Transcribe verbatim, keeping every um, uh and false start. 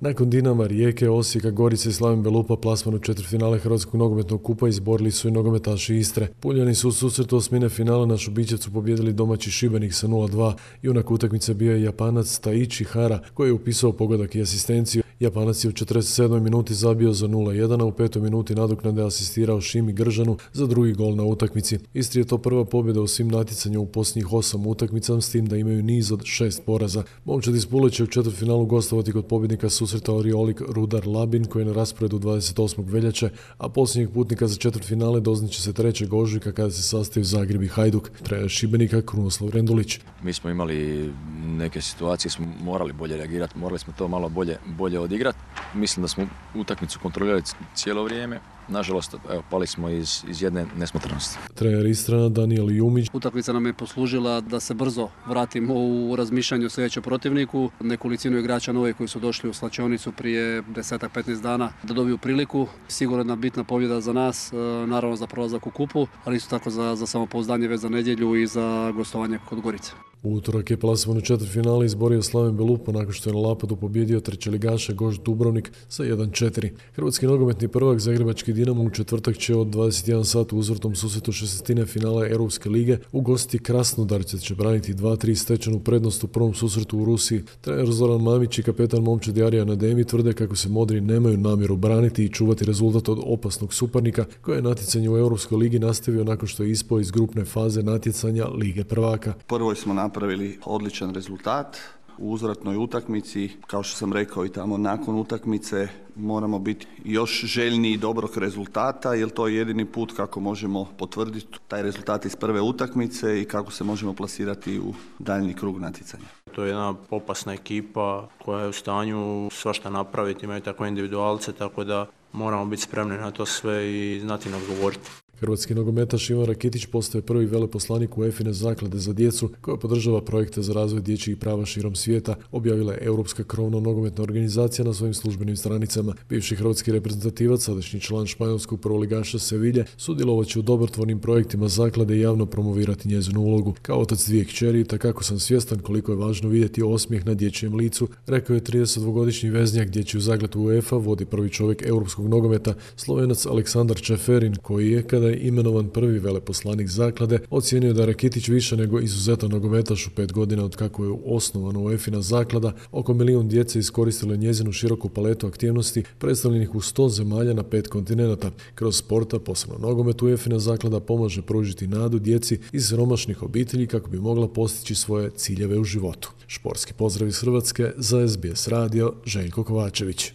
Nakon Dinama, Rijeke, Osijeka, Gorice i Slaven Belupa plasman u četvrtfinale Hrvatskog nogometnog kupa izborili su i nogometaši Istre. Puljani su u susretu osmine finala na Šubićevcu pobijedili domaći Šibenik sa nula dva. Junak utakmice bio je Japanac Taichi Hara koji je upisao pogodak i asistenciju. Japanac je u četrdeset sedmoj minuti zabio za nula jedan, a u petoj minuti nadoknade asistirao Šimi Gržanu za drugi gol na utakmici. Istri je to prva pobjeda u svim natjecanjima u posljednjih osam utakmica, s tim da imaju niz od šest poraza. Momčad iz Pule će u četvrtfinalu gostovati kod pobjednika susreta Oriolik Rudar Labin koji je na rasporedu dvadeset osmog veljače, a posljednjeg putnika za četvrtfinale doznaće se trećeg ožujka kada se sastaju Zagreb i Hajduk. Trener Šibenika Krunoslav Rendulić. Mi smo imali neke situacije, smo morali bolje reagirati, morali smo to malo bolje, bolje odigrati. Mislim da smo utakmicu kontrolirali cijelo vrijeme. Nažalost, evo, pali smo iz, iz jedne nesmotrenosti. Trener Istrana Daniel Jumić. Utakmica nam je poslužila da se brzo vratimo u razmišljanju o sljedećem protivniku. Nekolicinu igrača nove koji su došli u slačionicu prije deset do petnaest dana da dobiju priliku. Sigurno jedna bitna pobjeda za nas, naravno za prolazak u kupu, ali isto tako za, za samopouzdanje već za nedjelju i za gostovanje kod Gorice. U utorak je plasman u četvrtfinale izborio Slaven Belupa nakon što je na Lapadu pobjedio trećeligaša Goš Dubrovnik sa jedan četiri. Hrvatski nogometni prvak Zagrebački Dinamo u četvrtak će od dvadeset jedan sat u uzvrtnom susretu šestine finale Europske lige ugostiti Krasnodar, te će braniti dva tri stečenu prednost u prvom susretu u Rusiji. Trener Zoran Mamić i kapetan momčad Arijan Ademi tvrde kako se modri nemaju namjeru braniti i čuvati rezultat od opasnog suparnika koje je natjecanje u Europskoj ligi nastavio nakon što je ispao iz grupne faze natjecanja Lige prvaka. Prvo smo napravili odličan rezultat u uzvratnoj utakmici. Kao što sam rekao i tamo nakon utakmice moramo biti još željniji dobrog rezultata jer to je jedini put kako možemo potvrditi taj rezultat iz prve utakmice i kako se možemo plasirati u daljnji krug natjecanja. To je jedna opasna ekipa koja je u stanju svašta napraviti, imaju takve individualce, tako da moramo biti spremni na to sve i znati nam govoriti. Hrvatski nogometaš Ivan Rakitić postaje prvi veleposlanik u EFINE zaklade za djecu koja podržava projekte za razvoj dječjih prava širom svijeta, objavila je Europska krovna nogometna organizacija na svojim službenim stranicama. Bivši hrvatski reprezentativac, sadašnji član španjolskog prvoligaša Sevilje, sudjelovat će u dobrotvornim projektima zaklade i javno promovirati njezinu ulogu. Kao otac dvije kćeri, takako sam svjestan koliko je važno vidjeti osmijeh na dječjem licu, rekao je tridesetdvogodišnji veznjak dječju zakladu UEFA, vodi prvi čovjek europskog nogometa, Slovenac Aleksandar Čeferin, koji je, kada je imenovan prvi veleposlanik zaklade, ocijenio da Rakitić više nego izuzetan nogometaš u pet godina od kako je osnovana UEFINA zaklada, oko milijun djece iskoristilo njezinu široku paletu aktivnosti predstavljenih u sto zemalja na pet kontinenata. Kroz sporta, posebno nogomet, UEFINA zaklada pomaže pružiti nadu djeci iz siromašnih obitelji kako bi mogla postići svoje ciljeve u životu. Športski pozdrav iz Hrvatske za S B S radio, Željko Kovačević.